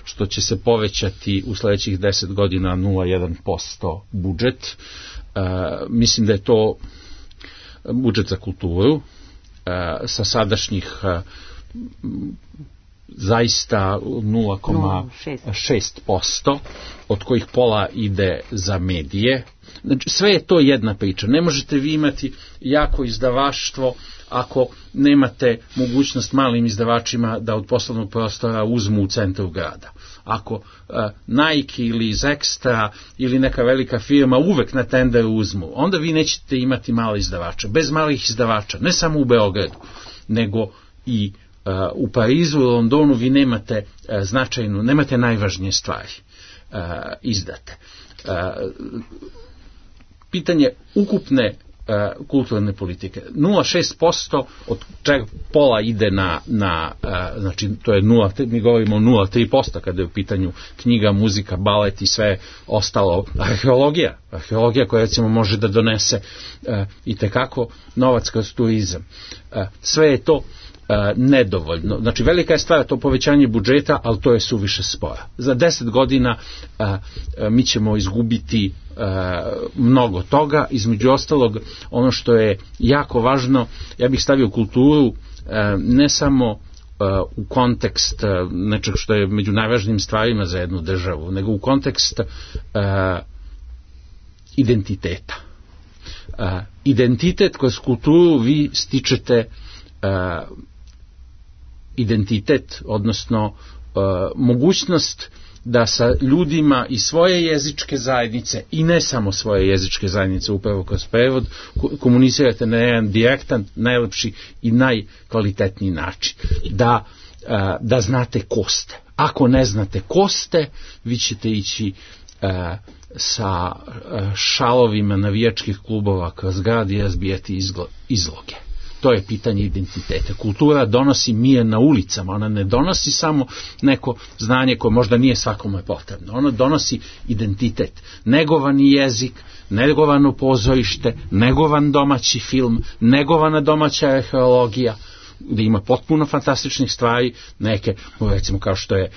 što će se povećati u sledećih deset godina nula zarez jedan posto budžet, mislim da je to budžet za kulturu sa sadašnjih zaista nula zarez šest posto, od kojih pola ide za medije. Znači, sve je to jedna priča. Ne možete vi imati jako izdavaštvo ako nemate mogućnost malim izdavačima da od poslovnog prostora uzmu u centru grada. Ako uh, Nike ili iz Extra ili neka velika firma uvek na tenderu uzmu, onda vi nećete imati male izdavače. Bez malih izdavača, ne samo u Beogradu, nego i uh, u Parizu i Londonu vi nemate uh, značajnu, nemate najvažnije stvari uh, izdate. Uh, pitanje ukupne uh, kulturne politike. nula zarez šest posto od čega pola ide na, na uh, znači to je nula, mi govorimo o nula zarez tri posto kada je u pitanju knjiga, muzika, balet i sve ostalo. Arheologija, arheologija koja recimo može da donese uh, i tekako novac kroz turizam. Uh, sve je to Uh, nedovoljno. Znači, velika je stvar to povećanje budžeta, ali to je suviše spora. Za deset godina uh, uh, mi ćemo izgubiti uh, mnogo toga. Između ostalog, ono što je jako važno, ja bih stavio kulturu uh, ne samo uh, u kontekst uh, nečeg što je među najvažnijim stvarima za jednu državu, nego u kontekst uh, identiteta. Uh, identitet kroz kulturu vi stičete uh, identitet, odnosno uh, mogućnost da sa ljudima i svoje jezičke zajednice i ne samo svoje jezičke zajednice upravo kroz prevod komunicirate na jedan direktan, najlepši i najkvalitetniji način. Da da znate ko ste. Ako ne znate ko ste, vi ćete ići sa šalovima navijačkih klubova kroz grad i razbijati izloge. To je pitanje identiteta. Kultura donosi mir na ulicama, ona ne donosi samo neko znanje koje možda nije svakome potrebno. Ona donosi identitet. Negovani jezik, negovano pozorište, negovan domaći film, negovana domaća arheologija, gde ima potpuno fantastičnih stvari, neke, recimo kao što je,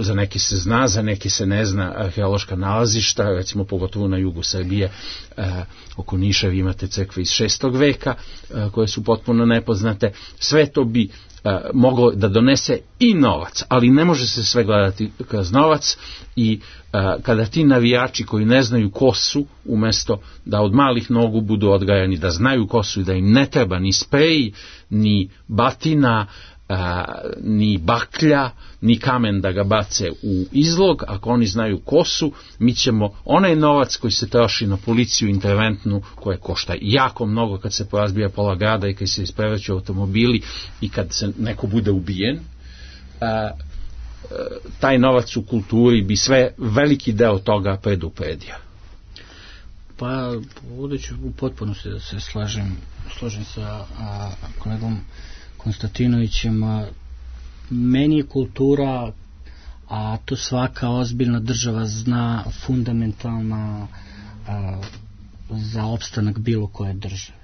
za neke se zna, za neke se ne zna, arheološka nalazišta, recimo pogotovo na jugu Srbije, eh, oko Niša vi imate crkve iz šestog veka, eh, koje su potpuno nepoznate. Sve to bi eh, moglo da donese i novac, ali ne može se sve gledati kroz novac i eh, kada ti navijači koji ne znaju ko su, umesto da od malih nogu budu odgajani da znaju ko su i da im ne treba ni sprej, ni batina, a, ni baklja, ni kamen da ga bace u izlog, ako oni znaju ko su, mi ćemo onaj novac koji se troši na policiju interventnu, koje košta jako mnogo kad se porazbija pola grada i kad se isprevrću automobili i kad se neko bude ubijen, a, taj novac u kulturi bi sve veliki deo toga predupredio. Pa, ovdje ću u potpunosti da se slažem, slažem sa a, kolegom Konstantinovićem. A, meni je kultura, a to svaka ozbiljna država zna, fundamentalna a, za opstanak bilo koje države.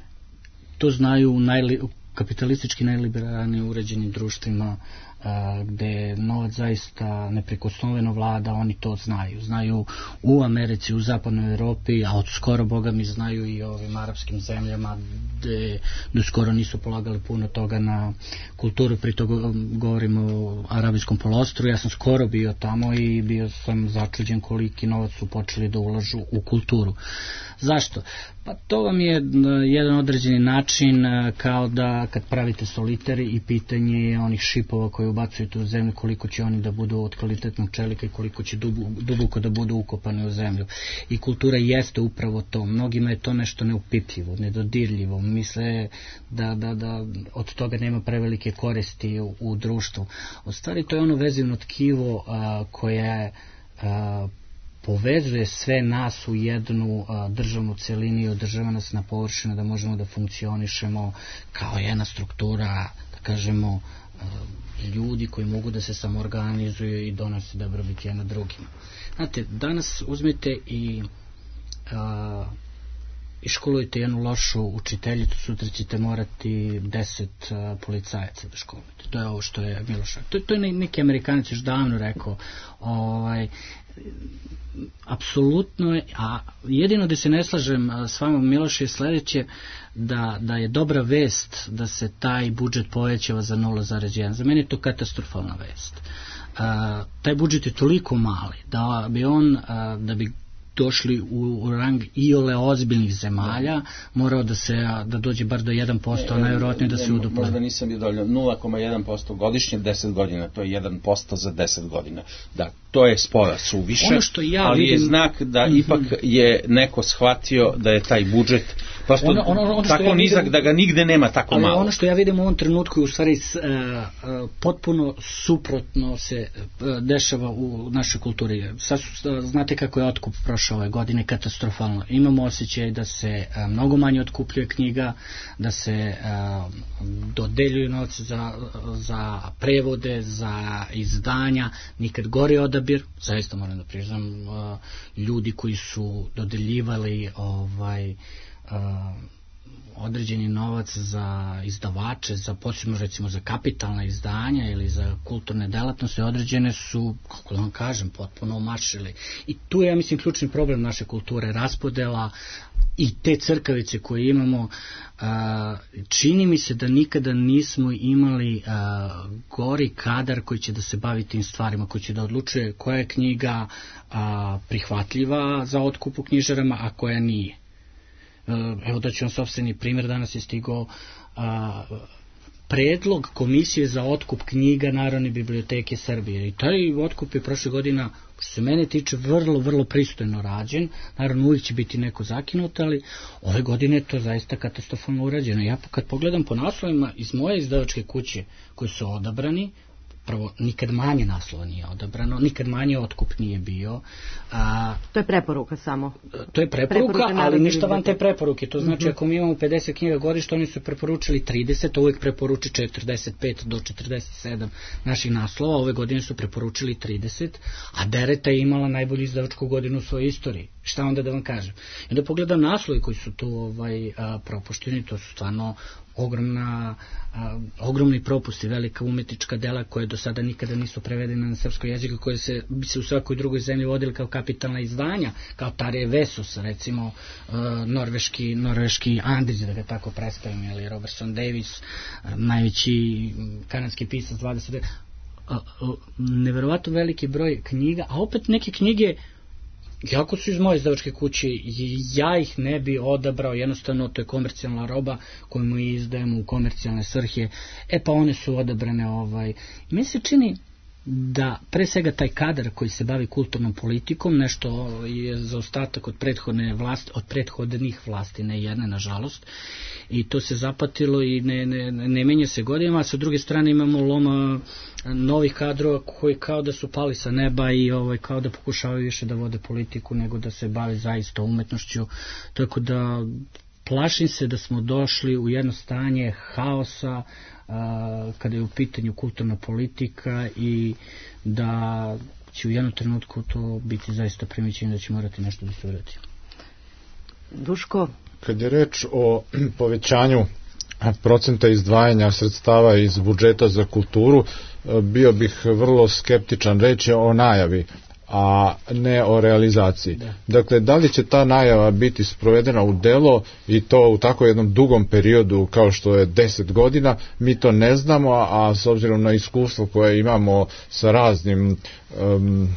To znaju u, najli, u kapitalistički najliberalnije uređenim društvima, a, gde novac zaista neprikosnoveno vlada, oni to znaju. Znaju u Americi, u zapadnoj Evropi, a od skoro boga mi znaju i ovim arapskim zemljama gde do skoro nisu polagali puno toga na kulturu, pri to govorimo o arabijskom poluostrvu. Ja sam skoro bio tamo i bio sam začuđen koliki novac su počeli da ulažu u kulturu. Zašto? Pa to vam je jedan određeni način, kao da kad pravite solitari i pitanje je onih šipova koje ubacujete u zemlju, koliko će oni da budu od kvalitetnog čelika i koliko će duboko da budu ukopani u zemlju. I kultura jeste upravo to. Mnogima je to nešto neupipljivo, nedodirljivo. Misle da, da, da od toga nema prevelike koristi u, u društvu. U stvari to je ono vezivno tkivo a, koje a, povezuje sve nas u jednu a, državnu celinu i održava nas na površinu da možemo da funkcionišemo kao jedna struktura, da kažemo, a, ljudi koji mogu da se samoorganizuju i donose dobrobit jedna drugima. Znate, danas uzmite i a, iškolujete jednu lošu učiteljicu, sutra ćete morati deset a, policajaca da školujete. To je ovo što je Miloš. To, to je neki Amerikanac još davno rekao. Ovaj, apsolutno je, a jedino da se ne slažem s vama, Miloš, je sledeće, da, da je dobra vest da se taj budžet povećava za nula zarez jedan. Za mene je to katastrofalna vest. A, taj budžet je toliko mali da bi on, a, da bi došli u, u rang iole ozbiljnih zemalja, morao da se da dođe bar do jedan posto, a najvjerojatnije da se uduple. Možda nisam bio dovoljno, nula zarez jedan posto godišnje, deset godina, to je jedan posto za deset godina. Da, to je spora suviše, ono što ja ali vidim, je znak da ipak je neko shvatio da je taj budžet prosto ono, ono, ono tako ja nizak vidim, da ga nigde nema tako ali malo. Ono što ja vidim u ovom trenutku je u stvari uh, uh, potpuno suprotno se uh, dešava u našoj kulturi. Sad su, uh, znate kako je otkup prošao ove godine, katastrofalno. Imamo osjećaj da se uh, mnogo manje otkupljuje knjiga, da se uh, dodeljuju novce za, za prevode, za izdanja, nikad gori odabir, zaista moram da priznam, uh, ljudi koji su dodeljivali ovaj Uh, određeni novac za izdavače, za posebno recimo za kapitalna izdanja ili za kulturne delatnosti, određene su, kako da vam kažem, potpuno omašili. I tu je, ja mislim, ključni problem naše kulture, raspodela i te crkavice koje imamo. Uh, čini mi se da nikada nismo imali uh, gori kadar koji će da se bavi tim stvarima, koji će da odlučuje koja je knjiga uh, prihvatljiva za otkup u knjižarama, a koja nije. Evo da ću vam sopstveni primjer, danas je stigao a, predlog Komisije za otkup knjiga Narodne biblioteke Srbije i taj otkup je prošle godina, što se mene tiče, vrlo, vrlo pristojno rađen. Naravno uvijek će biti neko zakinut, ali ove godine je to zaista katastrofalno urađeno. Ja kad pogledam po naslovima iz moje izdavačke kuće koji su odabrani, prvo nikad manje naslova nije odabrano, nikad manje otkup nije bio. A, to je preporuka samo. To je preporuka, preporuka ali ništa van te preporuke. To znači uh-huh. ako mi imamo pedeset knjiga godišnje, oni su preporučili trideset, uvek preporuči četrdeset pet do četrdeset sedam naših naslova, ove godine su preporučili trideset, a Dereta je imala najbolju izdavačku godinu u svojoj istoriji. Šta onda da vam kažem? I onda pogledam naslovi koji su tu ovaj, a, propušteni, to su stvarno ogromna, a, ogromni propusti, velika umetnička dela koje do sada nikada nisu prevedene na srpsko jezik, koje se, bi se u svakoj drugoj zemlji vodili kao kapitalna izdanja, kao Tarje Vesus, recimo a, norveški, norveški Andrić, da ga tako predstavim, ili Robertson Davis, a, najveći kanadski pisac dvadeset neverovatno veliki broj knjiga, a opet neke knjige jako su iz moje izdavačke kuće, ja ih ne bi odabrao, jednostavno to je komercijalna roba koju mu izdajemo u komercijalne svrhe, e pa one su odabrane ovaj. Meni se čini da pre svega taj kadar koji se bavi kulturnom politikom nešto je zaostatak od prethodne vlasti, od prethodnih vlasti, ne jedne nažalost, i to se zapatilo i ne, ne, ne menja se godinama, a sa druge strane imamo loma novih kadrova koji kao da su pali sa neba i ovaj, kao da pokušavaju više da vode politiku nego da se bave zaista umetnošću, tako da plašim se da smo došli u jedno stanje haosa a, kada je u pitanju kulturna politika i da će u jednom trenutku to biti zaista primećeno da će morati nešto da se uradi. Duško? Kad je reč o povećanju procenta izdvajanja sredstava iz budžeta za kulturu, bio bih vrlo skeptičan. Reč je o najavi, a ne o realizaciji. Da. Dakle, da li će ta najava biti sprovedena u delo i to u tako jednom dugom periodu kao što je deset godina, mi to ne znamo, a s obzirom na iskustvo koje imamo sa raznim um,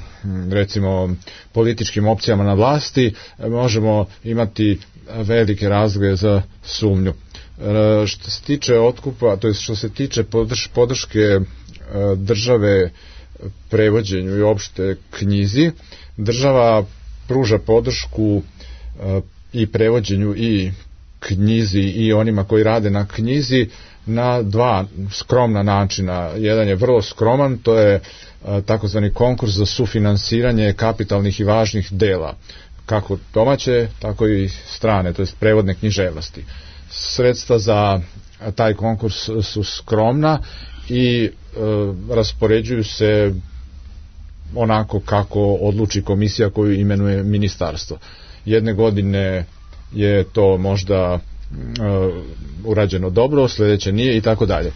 recimo političkim opcijama na vlasti, možemo imati velike razloge za sumnju. E, što se tiče otkupa, to je što se tiče podrš, podrške e, države prevođenju i opšte knjizi, država pruža podršku e, i prevođenju i knjizi i onima koji rade na knjizi na dva skromna načina. Jedan je vrlo skroman, to je e, takozvani konkurs za sufinansiranje kapitalnih i važnih dela, kako domaće, tako i strane, to jest prevodne književnosti. Sredstva za taj konkurs su skromna i e, raspoređuju se onako kako odluči komisija koju imenuje ministarstvo. Jedne godine je to možda e, urađeno dobro, sljedeće nije i tako dalje.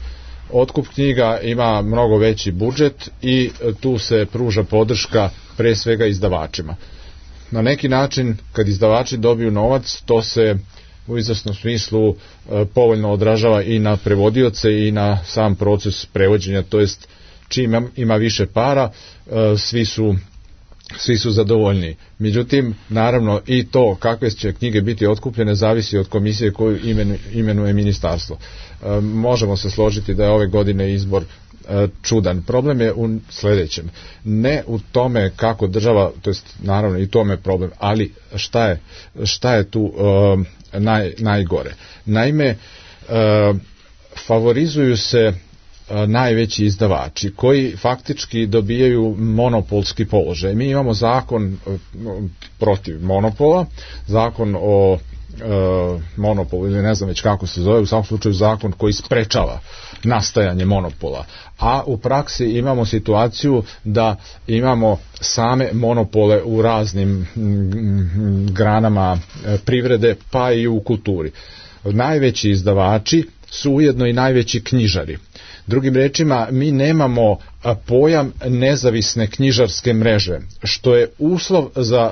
Otkup knjiga ima mnogo veći budžet i tu se pruža podrška pre svega izdavačima. Na neki način, kad izdavači dobiju novac, to se u izvesnom smislu e, povoljno odražava i na prevodioce i na sam proces prevođenja, to jest čim ima, ima više para, e, svi su svi su zadovoljni. Međutim, naravno i to kakve će knjige biti otkupljene zavisi od komisije koju imenu, imenuje ministarstvo. E, možemo se složiti da je ove godine izbor e, čudan. Problem je u sledećem. Ne u tome kako država, to jest naravno i tome je problem, ali šta je, šta je tu e, naj, najgore. Naime, e, favorizuju se najveći izdavači koji faktički dobijaju monopolski položaj. Mi imamo zakon protiv monopola, zakon o e, monopolu ili ne znam već kako se zove, u svakom slučaju zakon koji sprečava nastajanje monopola, a u praksi imamo situaciju da imamo same monopole u raznim granama privrede pa i u kulturi. Najveći izdavači su ujedno i najveći knjižari. Drugim rečima, mi nemamo pojam nezavisne knjižarske mreže, što je uslov za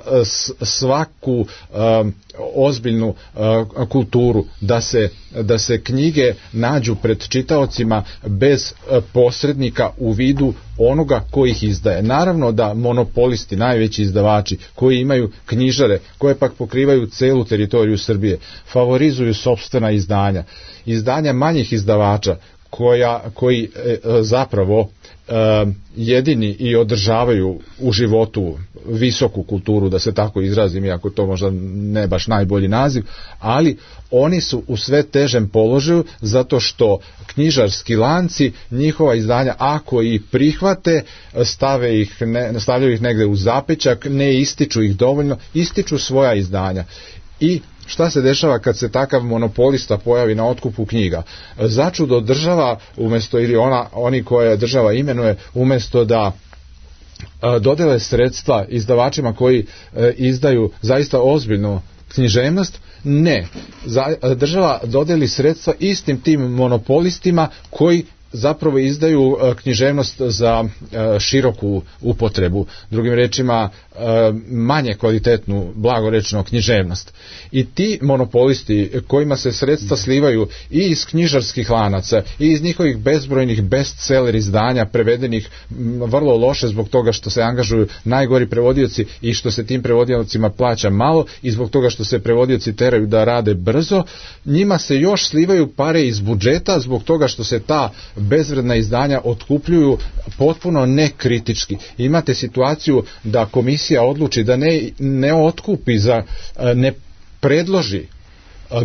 svaku um, ozbiljnu uh, kulturu, da se, da se knjige nađu pred čitaocima bez uh, posrednika u vidu onoga koji ih izdaje. Naravno da monopolisti, najveći izdavači, koji imaju knjižare, koje pak pokrivaju celu teritoriju Srbije, favorizuju sopstvena izdanja. Izdanja manjih izdavača, koja, koji e, zapravo e, jedini i održavaju u životu visoku kulturu, da se tako izrazim, iako to možda ne baš najbolji naziv, ali oni su u sve težem položaju zato što knjižarski lanci njihova izdanja, ako i prihvate, stave ih, ne, stavljaju ih negde u zapećak, ne ističu ih dovoljno, ističu svoja izdanja. I šta se dešava kad se takav monopolista pojavi na otkupu knjiga? Začudo država, umjesto, ili ona, oni koje država imenuje, umjesto da dodele sredstva izdavačima koji izdaju zaista ozbiljnu književnost, ne. Država dodeli sredstva istim tim monopolistima koji zapravo izdaju književnost za široku upotrebu, drugim rečima manje kvalitetnu, blagorečno književnost. I ti monopolisti kojima se sredstva slivaju i iz knjižarskih lanaca i iz njihovih bezbrojnih bestseller izdanja prevedenih vrlo loše zbog toga što se angažuju najgori prevodioci i što se tim prevodiocima plaća malo i zbog toga što se prevodioci teraju da rade brzo, njima se još slivaju pare iz budžeta zbog toga što se ta bezvredna izdanja otkupljuju potpuno nekritički. Imate situaciju da komisija odluči da ne, ne otkupi, za, ne predloži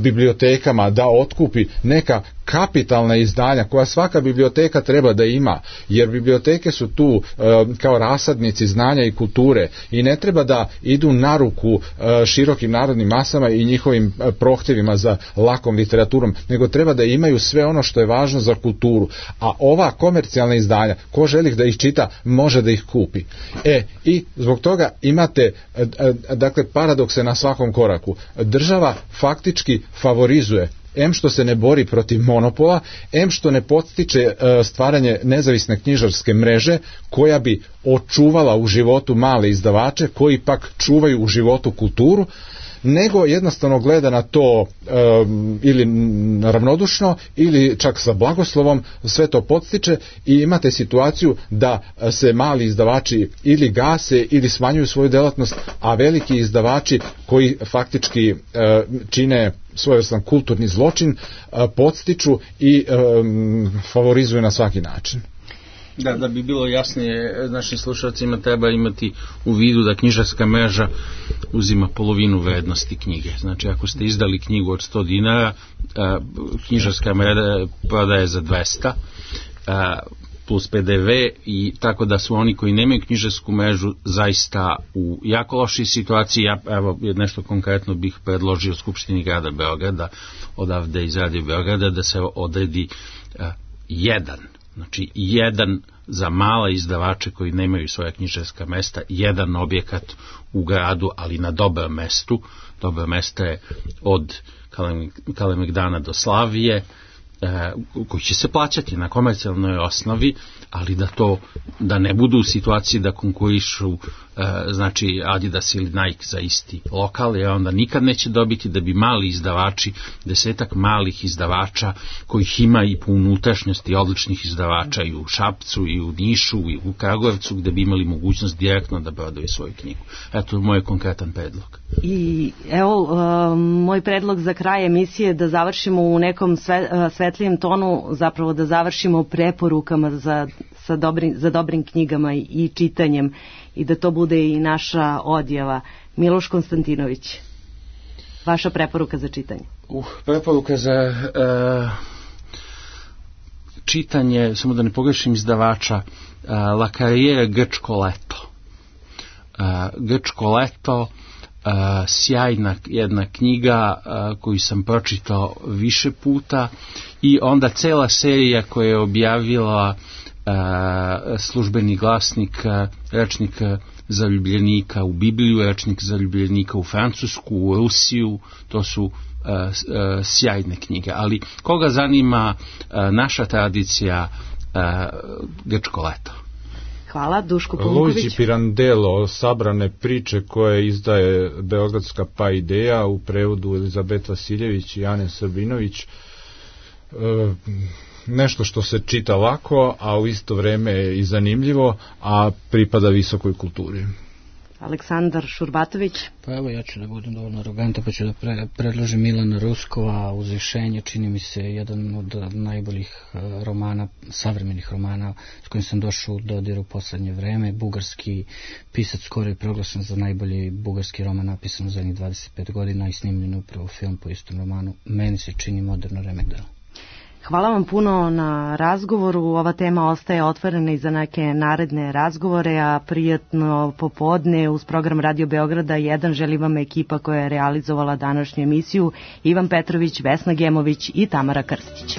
bibliotekama da otkupi neka kapitalna izdanja koja svaka biblioteka treba da ima, jer biblioteke su tu e, kao rasadnici znanja i kulture i ne treba da idu na ruku e, širokim narodnim masama i njihovim e, prohtjevima za lakom literaturom, nego treba da imaju sve ono što je važno za kulturu. A ova komercijalna izdanja, ko želi da ih čita, može da ih kupi. E, i zbog toga imate e, e, dakle paradokse na svakom koraku. Država faktički favorizuje em što se ne bori protiv monopola, em što ne podstiče stvaranje nezavisne knjižarske mreže koja bi očuvala u životu male izdavače koji pak čuvaju u životu kulturu, nego jednostavno gleda na to um, ili ravnodušno ili čak sa blagoslovom, sve to podstiče i imate situaciju da se mali izdavači ili gase ili smanjuju svoju delatnost, a veliki izdavači koji faktički uh, čine svojevrstan kulturni zločin uh, podstiču i um, favorizuju na svaki način. Da, da bi bilo jasnije našim slušalcima, treba imati u vidu da knjižarska mreža uzima polovinu vrednosti knjige. Znači, ako ste izdali knjigu od sto dinara, knjižarska mreža prodaje za dvesta plus pe de ve, i tako da su oni koji nemaju knjižarsku mrežu zaista u jako lošoj situaciji. Ja, evo, nešto konkretno bih predložio Skupštini grada Beograda, odavde iz Radio Beograda, da se odredi jedan Znači, jedan za mala izdavače koji nemaju svoja knjižarska mesta, jedan objekat u gradu, ali na dobrom mestu. Dobro mesto je od Kalemegdana do Slavije, e, koji će se plaćati na komercijalnoj osnovi, ali da to, da ne budu u situaciji da konkurišu e, znači Adidas ili Nike za isti lokal, jer onda nikad neće dobiti, da bi mali izdavači, desetak malih izdavača kojih ima i po unutrašnjosti odličnih izdavača i u Šapcu i u Nišu i u Kragujevcu, gde bi imali mogućnost direktno da prodaju svoju knjigu. Eto moj konkretan predlog. I evo uh, moj predlog za kraj emisije, da završimo u nekom sve, uh, svetlijem tonu, zapravo da završimo preporukama za, sa dobrim, za dobrim knjigama i, i čitanjem, i da to bude i naša odjava. Miloš Konstantinović, vaša preporuka za čitanje. Uh, preporuka za uh, čitanje, samo da ne pogrešim izdavača, uh, La Carriera Grčko leto. Uh, Grčko leto, uh, sjajna jedna knjiga uh, koju sam pročitao više puta, i onda cela serija koja je objavila uh, Službeni glasnik, uh, rečnik uh, zaljubljenika u Bibliju, rečnik zaljubljenika u Francusku, u Rusiju. To su uh, uh, sjajne knjige. Ali koga zanima uh, naša tradicija, uh, Grčko leto. Hvala, Duško Punković. Luigi Pirandello, sabrane priče koje izdaje Beogradska pa ideja, u prevodu Elizabet Vasiljević i Ane Srbinović. E, nešto što se čita lako, a u isto vreme i zanimljivo, a pripada visokoj kulturi. Aleksandar Šurbatović. Pa evo, ja ću da budem dovoljno arogantan, pa ću da pre, predložim Milana Ruskova, Uzvišenje, čini mi se jedan od najboljih romana, savremenih romana s kojim sam došao u dodir u poslednje vreme. Bugarski pisac, skoro je proglašen za najbolji bugarski roman napisan u zadnjih dvadeset pet godina i snimljen upravo film po istom romanu. Meni se čini moderno remek delo. Hvala vam puno na razgovoru. Ova tema ostaje otvorena i za neke naredne razgovore, a prijatno popodne uz program Radio Beograda jedan želi vam ekipa koja je realizovala današnju emisiju: Ivan Petrović, Vesna Gemović i Tamara Krstić.